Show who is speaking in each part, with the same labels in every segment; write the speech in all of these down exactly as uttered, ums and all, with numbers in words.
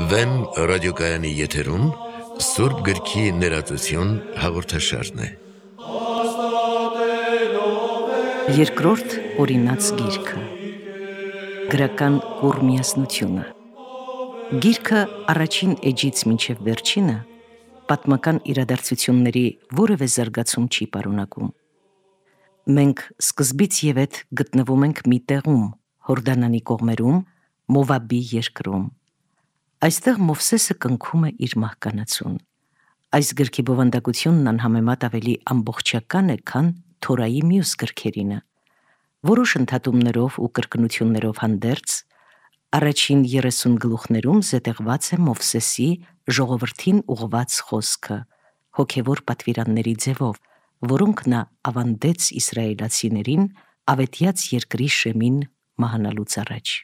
Speaker 1: Վեմ ռադիոկայանի եթերում Սուրբ գրքի ներածություն հաղորդաշարն է։
Speaker 2: Երկրորդ օրինաց գիրքը։ Գրական կուրմիասնությունը։ Գիրքը առաջին էջից մինչև վերջինը պատմական իրադարձությունների որևէ զարգացում չի պարունակում։ Մենք սկզբից եւ հետ գտնվում ենք մի տեղում, Հորդանանի կողմերում, Մովաբի երկրում։ Այստեղ Մովսեսը կնքում է իր մահկանացուն։ Այս գրքի բովանդակությունն անհամեմատ ավելի ամբողջական է, քան Թորայի մյուս գրքերինը։ Որոշ ընդհատումներով ու կրկնություններով հանդերձ, առաջին երեսուն գլուխներում զետեղված է Մովսեսի ժողովրդին ուղղված խոսքը, հոգևոր պատվիրանների ձևով, որոնք նա ավանդեց իսրայելացիներին ավետյաց երկրի շեմին մահանալուց առաջ։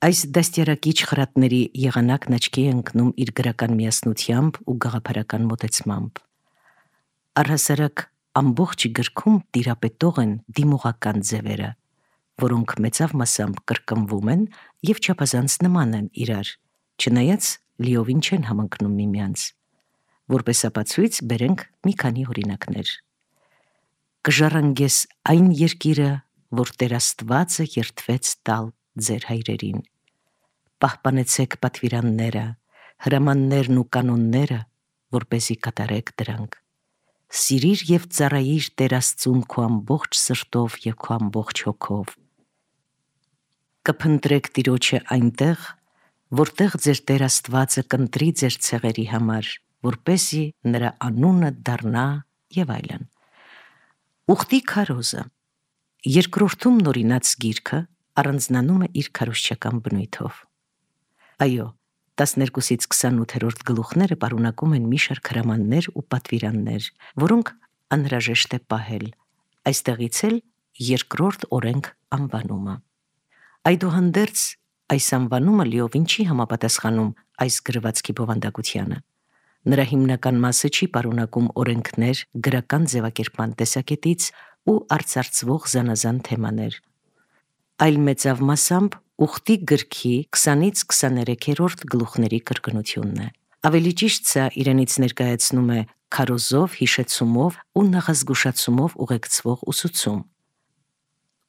Speaker 2: Այս դաստիարակիչ խրատների եղանակն աչքի է ընկնում իր գրական միասնությամբ ու գաղափարական մոտեցմամբ։ Առհասարակ ամբողջ գրքում տիրապետող են դիմողական ձևերը, որոնք մեծավ մասամբ կրկնվում են և չափազանց նման են իրար, չնայած լիովին չեն համընկնում միմյանց։ Որպես ապացույց բերենք մի քանի օրինակներ։ Կժառանգես այն երկիրը, որ Տեր Աստվածը երդվեց տալ ձեր հայրերին։ Պահպանեցեք պատվիրանները, հրամաններն ու կանոնները, որպեսզի կատարեք դրանք։ Սիրիր և ծառայիր Տեր Աստծուն քո ամբողջ սրտով և քո ամբողջ հոգով։ Կփնտրեք Տիրոջը այնտեղ, որտեղ ձեր Տեր Աստվածը կընտրի ձեր ցեղերի համար, որպեսզի նրա անունը դառնա և այլն։ Ուխտի քարոզը։ Երկրորդում նորինաց գիրքը առանձնանում է իր քարոզչական բնույթով։ Այո, տասներկուսից քսանութերորդ գլուխները պարունակում են մի շարք հրամաններ ու պատվիրաններ, որոնք անհրաժեշտ է պահել, այստեղից էլ երկրորդ օրենք անվանումը։ Այդուհանդերձ այս անվանումը լիովին չի համապատասխանում այս գրվածքի բովանդակությանը։ Նրա հիմնական մասը չի պարունակում օրենքներ գրական ձևակերպման տեսակետից ու արծարծվող զանազան թեմաներ, այլ մեծավ մասամբ ուխտի գրքի քսանից քսաներեքերորդ գլուխների կրկնությունն է։ Ավելի ճիշտ սա իրենից ներկայացնում է քարոզով, հիշեցումով ու նախազգուշացումով ուղեկցվող ուսուցում։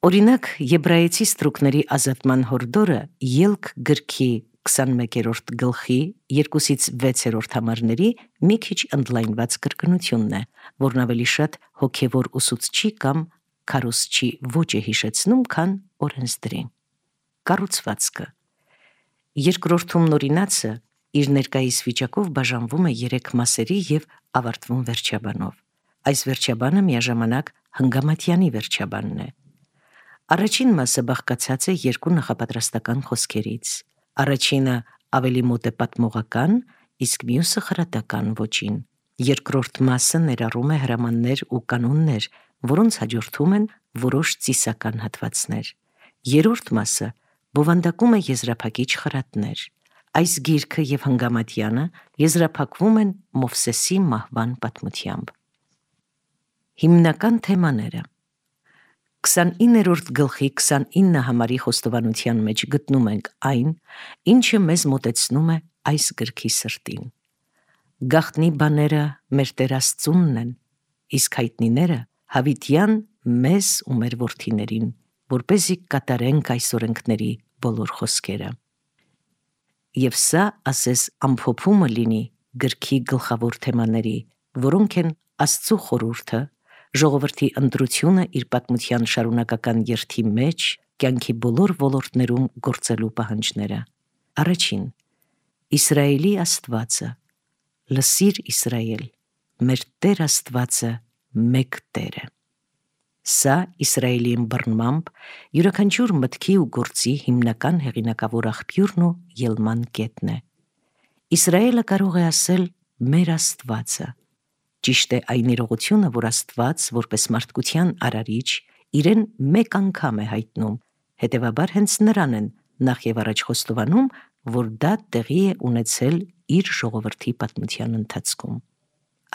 Speaker 2: Օրինակ, Եբրայեցի ստրուկների ազատման հորդորը Ելք գրքի քսանմեկերորդ գլխի երկուսից վեցերորդ համարների մի քիչ ընդլայնված կրկնությունն է, որն ավելի շատ հոգևոր ուսուցչի կամ քարոզչի ոճ է հիշեցնում, քան օրենսդրի։ Կառուցվածքը։ Երկրորդում նորինացը իր ներկայիս վիճակով բաժանվում է երեք մասերի և ավարտվում վերջաբանով։ Այս վերջաբանը միաժամանակ Հնգամատյանի վերջաբանն է։ Առաջին մասը բաղկացած է երկու նախապատրաստական խոսքերից։ Առաջինը ավելի մոտ է պատմողական, իսկ մյուսը խրատական ոճին։ Երկրորդ մասը ներառում է հրամաններ ու կանոններ, որոնց հաջորդում են որոշ ծիսական հատվածներ։ Երրորդ մասը բովանդակում է եզրափակիչ խրատներ։ Այս գիրքը և Հնգամատյանը եզրափակվում են Մովսեսի մահվան պատմությամբ։ Հիմնական թեմաները։ Քսանիններորդ գլխի քսանինը համարի խոստովանության մեջ գտնում ենք այն, ինչը մեզ մոտեցնում է այս գրքի սրտին։ Գաղտնի բաները մեր Տեր Աստծունն են, իսկ հայտնիները հավիտյան մեզ ու մեր որդիներին, որպեսզի կատարենք այս օրենքների բոլոր խոսքերը։ Եվ սա, ասես, ամփոփումը լինի գրքի գլխավոր թեմաների, որոնք են Աստծու խորհուրդը, ժողովրդի ընտրությունը իր պատմության շարունակական երթի մեջ, կյանքի բոլոր ոլորտներում գործելու պահանջները։ Առաջին. Իսրայելի Աստվածը, լսիր Իսրայել, մեր Տեր Աստվածը մեկ Տեր է։ Սա Իսրայելի ըմբռնմամբ յուրաքանչյուր մտքի ու գործի հիմնական հեղինակավոր աղբյուրն ու ելման կետն է։ Իսրայելը կարող է ասել մեր Աստվածը։ Ճիշտ է այն իրողությունը, որ Աստված, որպես մարդկության արարիչ, իրեն մեկ անգամ է հայտնում, հետևաբար հենց նրան են նախ եւ առաջ խոստովանում, որ դա տեղի է ունեցել իր ժողովրդի պատմության ընթացքում։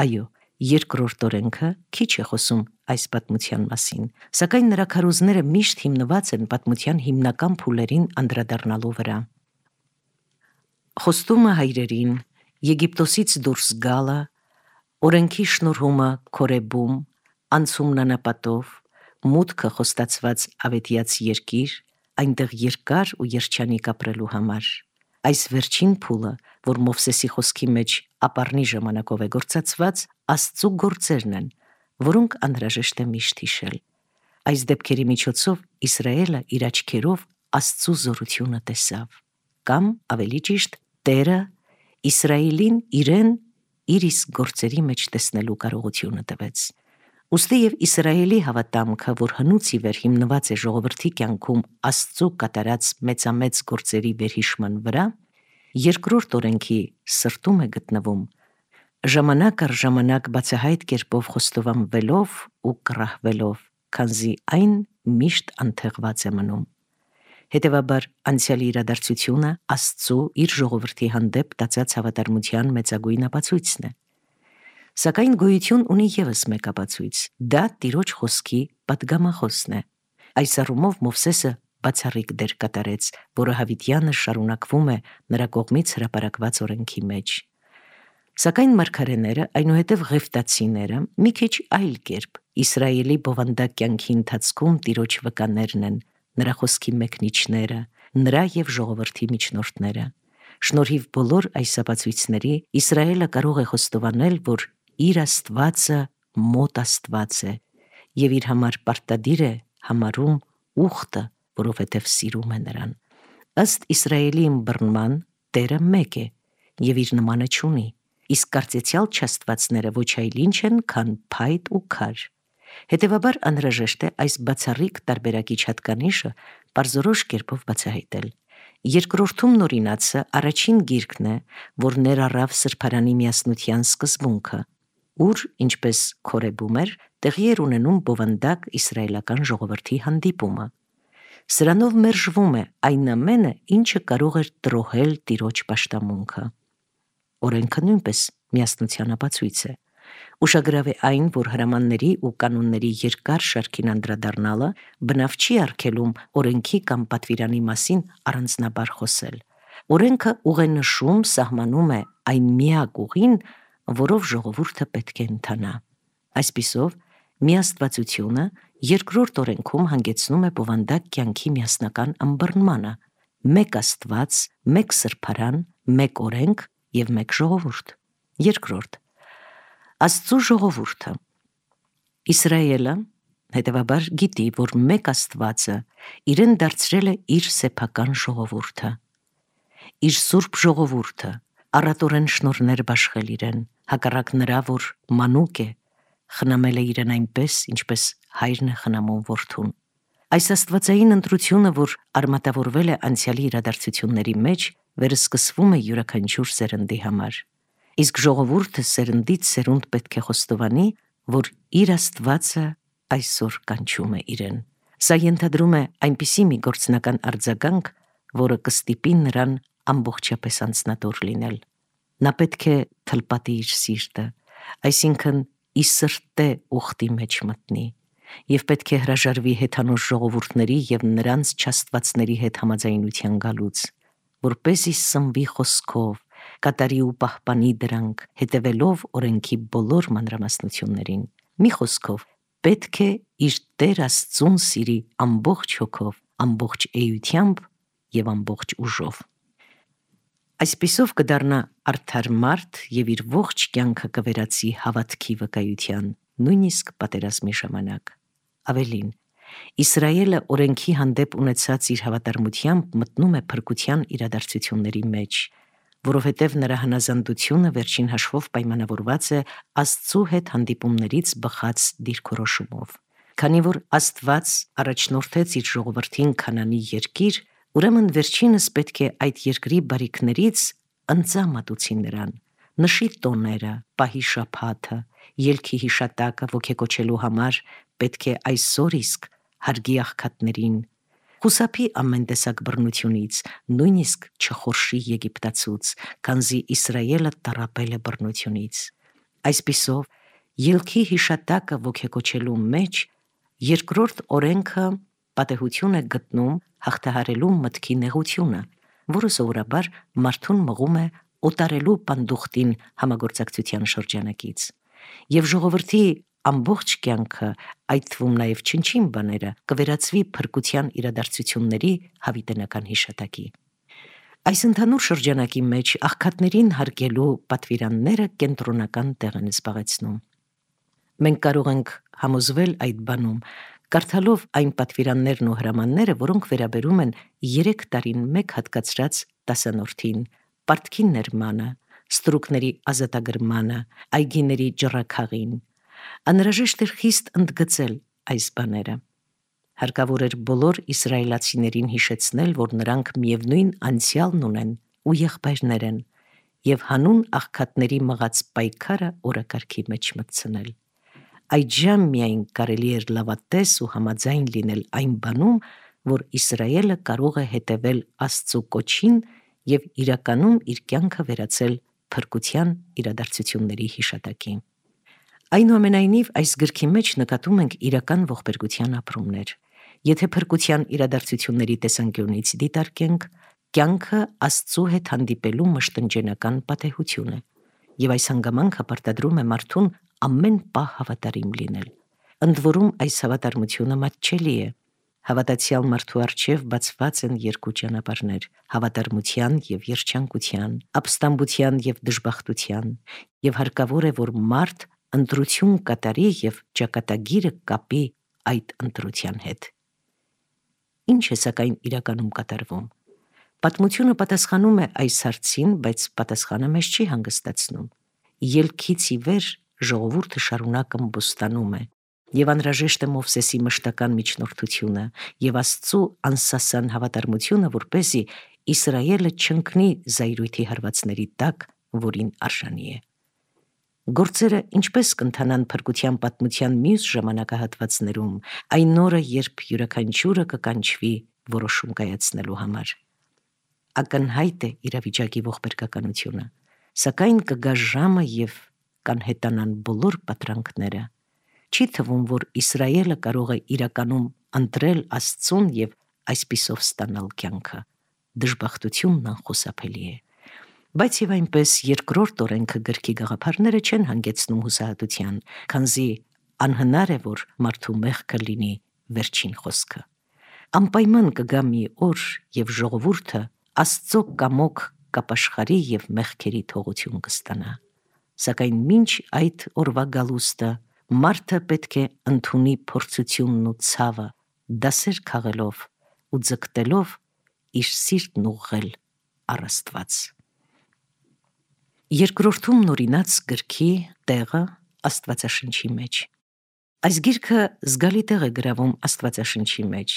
Speaker 2: Այո, Երկրորդ օրենքը քիչ է խոսում այս պատմության մասին, սակայն նրա քարոզները միշտ հիմնված են պատմության հիմնական փուլերին անդրադառնալու վրա։ Խոստումը հայրերին, Եգիպտոսից դուրս գալը, օրենքի շնորհումը Քորեբում, անցումն անապատով, մուտքը խոստացված ավետյաց երկիր, այնտեղ երկար ու երջանիկ ապրելու համար։ Այս վերջին փուլը, որ Մովսեսի խոսքի մեջ ապառնի ժամանակով է գործածված, Աստծու գործերն են, որոնք անհրաժեշտ է միշտ հիշել։ Այս դեպքերի միջոցով Իսրայելը իր աչքերով Աստծու զորությունը տեսավ, կամ ավելի ճիշտ, Տերը Իսրայելին իրեն իր իսկ գործերի մեջ տեսնելու կարողությունը տվեց։ Ուստի և Իսրայելի հավատամքը, որ հնուց ի վեր հիմնված է ժողովրդի կյանքում Աստծու կատարած մեծամեծ գործերի վերհիշման վրա, երկրորդ օրենքի սրտում է գտնվում, ժամանակ առ ժամանակ բացահայտ կերպով խոստովանվելով ու կռահվելով, քանզի այն միշտ անթեղված է մնում։ Հետևաբար անցյալի իրադարձությունը Աստծու իր ժողովրդի հանդեպ տածած հավատարմության մեծագույն ապացույցն է։ Սակայն գոյություն ունի ևս մեկ ապացույց, դա Տիրոջ խոսքի պատգամախոսն է։ Այս առումով Մովսեսը բացառիկ դեր կատարեց, որը հավիտյանը շարունակվում է նրա կողմից հրապարակված օրենքի մեջ։ Սակայն մարգարեները, այնուհետև Ղևտացիները, մի քիչ այլ կերպ Իսրայելի բովանդակ կյանքի ընթացքում Տիրոջ վկաներն են, նրա խոսքի մեկնիչները, նրա և ժողովրդի միջնորդները։ Շնորհիվ բոլոր այս ապացույցների Իսրայելը կարող է խոստովանել, որ իր Աստվածը մոտ Աստված է և իր համար պարտադիր է համարում ուխտը, որովհետև սիրում է նրան։ Ըստ Իսրայելի ըմբռնման Տերը մեկ է և իր նմանը չունի, իսկ կարծեցյալ չաստվածները ոչ այլ ինչ են, քան փայտ ու քար։ Հետևաբար անհրաժեշտ է այս բացառիկ տարբերակիչ հատկանիշը պարզորոշ կերպով բացահայտել։ Երկրորդում նորինացը առաջին գիրքն է, որ ներառավ սրբարանի միասնության սկզբունքը, ուր, ինչպես Քորեբում էր, տեղի էր ունենում բովանդակ իսրայելական ժողովրդի հանդիպումը։ Սրանով մերժվում է այն ամենը, ինչը կարող էր տրոհել Տիրոջ պաշտամունքը։ Օրենքը նույնպես միասնության ապացույց է։ Ուշագրավ է այն, որ հրամանների ու կանոնների երկար շարքին անդրադառնալը բնավ չի արգելում օրենքի կամ պատվիրանի մասին առանձնաբար խոսել։ Օրենքը ուղենշում սահմանում է այն միակ ուղին, որով ժողովուրդը պետք է ընթանա։ Այսպիսով, միաստվածությունը երկրորդ օրենքում հանգեցնում է բովանդակ կյանքի միասնական ըմբռնմանը՝ մեկ Աստված, մեկ սրբարան, մեկ օրենք և մեկ ժողովուրդ։ Երկրորդ, Աստծու ժողովուրդը։ Իսրայելը, հետևաբար, գիտի, որ մեկ Աստվածը իրեն դարձրել է իր սեփական ժողովուրդը։ Իր սուրբ ժողովուրդը առատորեն շնորհներ բաշխել իրեն, հակառակ նրա, որ մանուկ է, խնամել է իրեն այնպես, ինչպես հայրն է խնամում որդուն։ Այս աստվածային ընտրությունը, որ արմատավորվել է անցյալի իրադարձությունների մեջ, վերսկսվում է յուրաքանչյուր սերնդի համար։ Իսկ ժողովուրդը սերնդից սերունդ պետք է խոստովանի, որ իր Աստվածը այսօր կանչում է իրեն։ Սա ենթադրում է այնպիսի մի գործնական արձագանք, որը կստիպի նրան ամբողջապես անձնատոր լինել։ Նա պետք է թլպատի իր սիրտը, այսինքն ի սրտե ուխտի մեջ մտնի, և պետք է հրաժարվի հեթանոց ժողովուրդների և նրանց չաստվածների հետ համաձայնության գալուց, որպեսզի սնվի խոսքով, կատարի ու պահպանի դրանք, հետևելով օրենքի բոլոր մանրամասնություններին։ Մի խոսքով, պետք է իր Տեր Աստծուն սիրի ամբողջ հոգով, ամբողջ էությամբ և ամբողջ ուժով։ Այսպիսով կդառնա արդար մարդ և իր ողջ կյանքը կվերածի հավատքի վկայության, նույնիսկ պատերազմի ժամանակ։ Ավելին, Իսրայելը օրենքի հանդեպ ունեցած իր հավատարմությամբ մտնում է փրկության իրադարձությունների մեջ, որովհետև նրա հնազանդությունը վերջին հաշվով պայմանավորված է Աստծու հետ հանդիպումներից բխած դիրքորոշումով։ Քանի որ Աստված առաջնորդեց իր ժողովրդին Քանանի երկիր, ուրեմն վերջինս պետք է այդ երկրի բարիքներից ընծա մատուցի նրան, նշի տոները, պահի շաբաթը, ելքի հիշատակը ոգեկոչելու համար պետք է այսօր իսկ հարգի աղքատներին, խուսափի ամեն տեսակ բռնությունից, նույնիսկ չխորշի Եգիպտացուց, քանզի Իսրայելը տառապել է բռնությունից։ Այսպիսով, Ելքի հիշատակը ոգեկոչելու մեջ երկրորդ օրենքը պատեհություն է գտնում հաղթահարելու մտքի նեղությունը, որը սովորաբար մարդուն մղում է օտարելու պանդուխտին համագործակցության շրջանակից, եւ ժողովրդի ամբողջ կյանքը, այդ թվում նաև չնչին բաները, կվերածվի փրկության իրադարձությունների հավիտենական հիշատակի։ Այս ընդհանուր շրջանակի մեջ աղքատներին հարգելու պատվիրանները կենտրոնական տեղ են զբաղեցնում։ Մենք կարող ենք համոզվել այդ բանում, կարդալով այն պատվիրաններն ու հրամանները, որոնք վերաբերում են երեք տարին մեկ հատկացրած տասանորդին, պարտքի ներմանը, ստրուկների ազատագրմանը, այգիների ջռաքաղին։ Անհրաժեշտ էր խիստ ընդգծել այս բաները։ Հարկավոր էր բոլոր իսրայելացիներին հիշեցնել, որ նրանք միևնույն անցյալն ունեն ու եղբայրներ են, եւ հանուն աղքատների մղած պայքարը օրակարգի մեջ մտցնել։ Այդժամ միայն կարելի էր լավատես ու համաձայն լինել այն բանում, որ Իսրայելը կարող է հետևել Աստծու կոչին եւ իրականում իր կյանքը վերածել փրկության իրադարձությունների հիշատակի։ Այնուամենայնիվ, այս գրքի մեջ նկատում ենք իրական ողբերգության ապրումներ։ Եթե փրկության իրադարձությունների տեսանկյունից դիտարկենք, կյանքը Աստծու հետ հանդիպելու մշտնջենական պատեհություն է, եւ այս հանգամանքը պարտադրում է մարդուն ամեն պահ հավատարիմ լինել։ Ընդ որում, այս հավատարմությունը մատչելի է։ Հավատացյալ մարդու առջև բացված են երկու ճանապարհներ՝ հավատարմության եւ երջանկության, ապստամբության եւ դժբախտության, եւ հարկավոր է, որ մարդ ընտրություն կատարի եւ ճակատագիրը կապի այդ ընտրության հետ։ Ինչ է սակայն իրականում կատարվում։ Պատմությունը պատասխանում է այս հարցին, բայց պատասխանը մեզ չի հանգստացնում։ Ելքից ի վեր ժողովուրդը շարունակ ըմբոստանում է, եւ անհրաժեշտ է Մովսեսի մշտական միջնորդությունը եւ Աստծու անսասան հավատարմությունը, որպեսզի Իսրայելը չընկնի զայրույթի հարվածների տակ, որին արժանի է։ Գործերը ինչպես կընթանան փրկության պատմության մյուս ժամանակահատվածներում, այն օրը, երբ յուրաքանչյուրը կկանչվի որոշում կայացնելու համար։ Ակնհայտ է իրավիճակի ողբերգականությունը, սակայն կգա ժամը եւ կանհետանան բոլոր պատրանքները։ Չի թվում, որ Իսրայելը կարող է իրականում ընտրել Աստծուն եւ այսպիսով ստանալ կյանքը։ Դժբախտությունն անխուսափելի է։ Բայց եւ այնպես երկրորդ օրենքը գրքի գաղափարները չեն հանգեցնում հուսահատության, քանզի անհնար է, որ մարդու մեղքը լինի վերջին խոսքը։ Անպայման կգա մի օր, եւ ժողովուրդը Աստծո կամոք կապաշխարի եւ մեղքերի թողություն կստանա։ Սակայն մինչ այդ օրվա գալուստը մարդը պետք է ընդունի փորձությունն ու ցավը, դասեր քաղելով ու ձգտելով իր սիրտն ուղղել առ Աստված։ Երկրորդում նորինած գրքի տեղը Աստվածաշնչի մեջ։ Այս գիրքը զգալի տեղ է գրավում Աստվածաշնչի մեջ,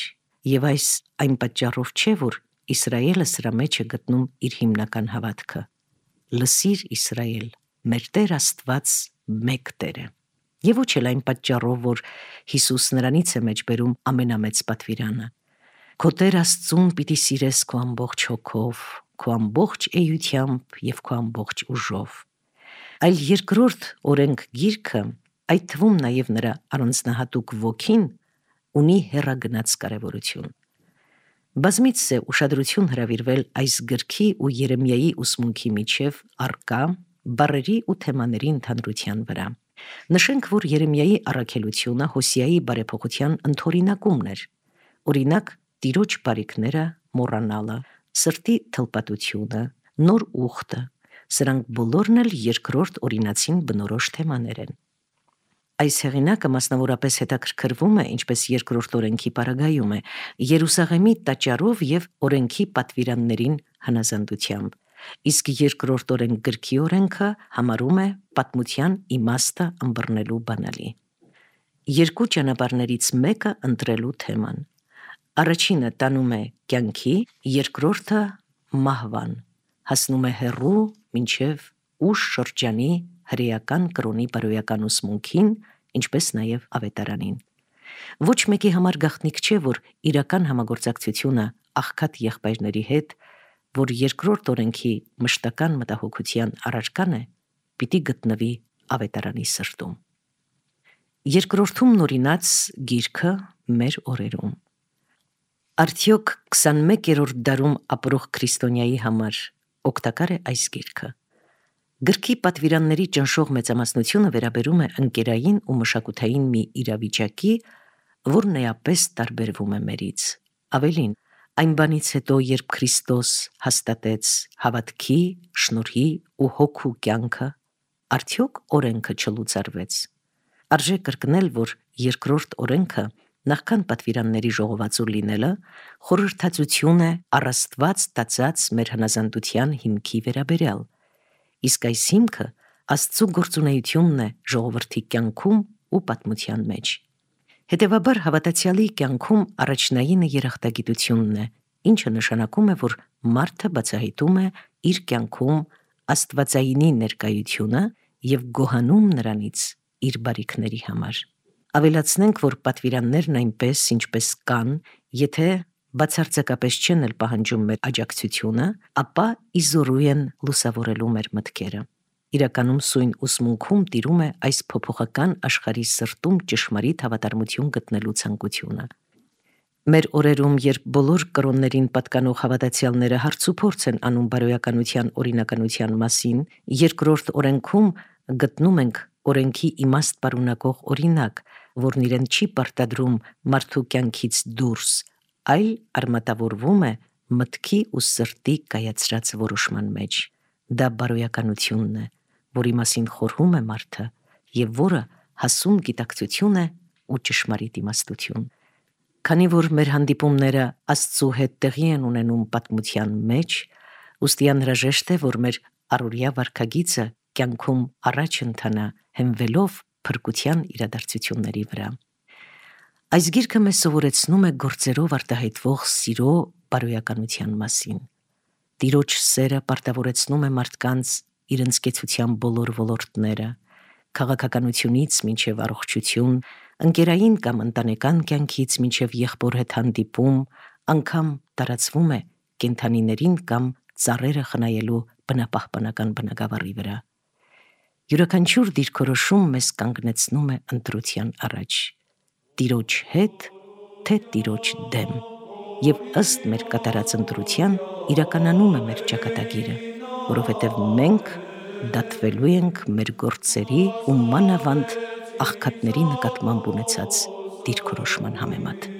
Speaker 2: եւ այս այն պատճառով չէ, որ Իսրայելը սրա մեջ է գտնում իր հիմնական հավատքը։ Լսիր Իսրայել, մեր Տեր Աստված մեկ Տեր է։ Եվ ոչ էլ այն պատճառով, որ Հիսուս նրանից է մեջբերում ամենամեծ պատվիրանը։ Քո Տեր Աստծուն պիտի սիրես քո ամբողջ հոգով, քո ամբողջ էությամբ եւ քո ամբողջ ուժով։ Այլ երկրորդ օրենք գիրքը, այդ թվում նաեւ նրա առանձնահատուկ ոգին, ունի հեռագնաց կարևորություն։ Բազմիցս է ուշադրություն հրավիրվել այս գրքի ու Երեմիայի ուսմունքի միջև առկա բառերի ու թեմաների ընդհանրության վրա։ Նշենք, որ Երեմիայի առաքելությունը Հոսեայի բարեփոխության ընդօրինակումն էր։ Օրինակ, Տիրոջ բարիքները մոռանալը, սրտի թլպատությունը, նոր ուխտը, սրանք բոլորն էլ երկրորդ օրինացին բնորոշ թեմաներ են։ Այս հեղինակը մասնավորապես հետաքրքրվում է, ինչպես երկրորդ օրենքի պարագայում է, Երուսաղեմի տաճարով եւ օրենքի պատվիրաններին հնազանդությամբ, իսկ երկրորդ օրենք գրքի օրենքը համարում է պատմության իմաստը ըմբռնելու բանալի։ Երկու ճանապարհներից մեկը ընտրելու թեման։ Առաջինը տանում է կյանքի, երկրորդը մահվան, հասնում է հեռու մինչև ուշ շրջանի հրեական կրոնի բարոյական ուսմունքին, ինչպես նաև ավետարանին։ Ոչ մեկի համար գաղտնիք չէ, որ իրական համագործակցությունը աղքատ եղբայրների հետ, որ երկրորդ օրենքի մշտական մտահոգության առարկան է, պիտի գտնվի ավետարանի սրտում։ Երկրորդում նորինած գիրքը մեր օրերում։ Արդյոք քսանմեկերորդ դարում ապրող քրիստոնյայի համար օգտակար է այս գիրքը։ Գրքի պատվիրանների ճնշող մեծամասնությունը վերաբերում է ընկերային ու մշակութային մի իրավիճակի, որն էապես տարբերվում է մերից։ Ավելին, այն բանից հետո, երբ Քրիստոս հաստատեց հավատքի, շնորհի ու հոգու կյանքը, արդյոք օրենքը չլուծարվեց։ Արժե կրկնել, որ երկրորդ օրենքը, նախքան պատվիրանների ժողովածու լինելը, խորհրդածություն է առ Աստված տածած մեր հնազանդության հիմքի վերաբերյալ, իսկ այս հիմքը Աստծու գործունեությունն է ժողովրդի կյանքում ու պատմության մեջ։ Հետևաբար հավատացյալի կյանքում առաջնայինը երախտագիտությունն է, ինչը նշանակում է, որ մարդը բացահայտում է իր կյանքում Աստվածայինի ներկայությունը և գոհանում նրանից իր բարիքների համար։ Ավելացնենք, որ պատվիրաններն այնպես, ինչպես կան, եթե բացարձակապես չեն էլ պահանջում մեր աջակցությունը, ապա իզորու են լուսավորելու մեր մտքերը։ Իրականում սույն ուսմունքում տիրում է այս փոփոխական աշխարհի սրտում ճշմարիտ հավատարմություն գտնելու ցանկությունը։ Մեր օրերում, երբ բոլոր կրոններին պատկանող հավատացյալները հարցուփորձ են անում բարոյականության օրինականության մասին, երկրորդ օրենքում գտնում ենք օրենքի իմաստ պարունակող օրինակ, որն իրեն չի պարտադրում մարդու կյանքից դուրս, այլ արմատավորվում է մտքի ու սրտի կայացրած որոշման մեջ։ Դա բարոյականությունն է, որի մասին խորհում է մարդը և որը հասուն գիտակցություն է ու ճշմարիտ իմաստություն։ Քանի որ մեր հանդիպումները Աստծու հետ տեղի են ունենում պատմության մեջ, ուստի անհրաժեշտ է, որ մեր առօրյա վարքագիծը կյանքում առաջ ընթանա հենվելով փրկության իրադարձությունների վրա։ Այս գիրքը մեզ սովորեցնում է գործերով արտահայտվող սիրո բարոյականության մասին։ Տիրոջ սերը պարտավորեցնում է մարդկանց իրենց կեցության բոլոր ոլորտները, քաղաքականությունից մինչև առողջություն, ընկերային կամ ընտանեկան կյանքից մինչև եղբոր հետ հանդիպում, անգամ տարածվում է կենդանիներին կամ ծառերը խնայելու բնապահպանական բնագավառի վրա։ Յուրաքանչյուր դիրքորոշում մեզ կանգնեցնում է ընտրության առաջ՝ Տիրոջ հետ, թե Տիրոջ դեմ, և ըստ մեր կատարած ընտրության իրականանում է մեր ճակատագիրը, որովհետև մենք դատվելու ենք մեր գործերի ու մանավանդ աղքատների նկատմամբ ունեցած դիրքորոշման համեմատ։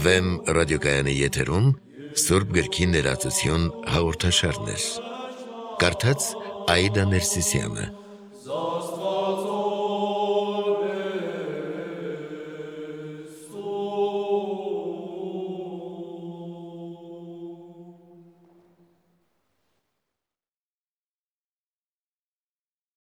Speaker 1: Վեմ ռադիոկայանի եթերում Սուրբ գրքի ներածություն հաղորդաշարներ։ Կարդաց Աիդա Ներսիսյանը։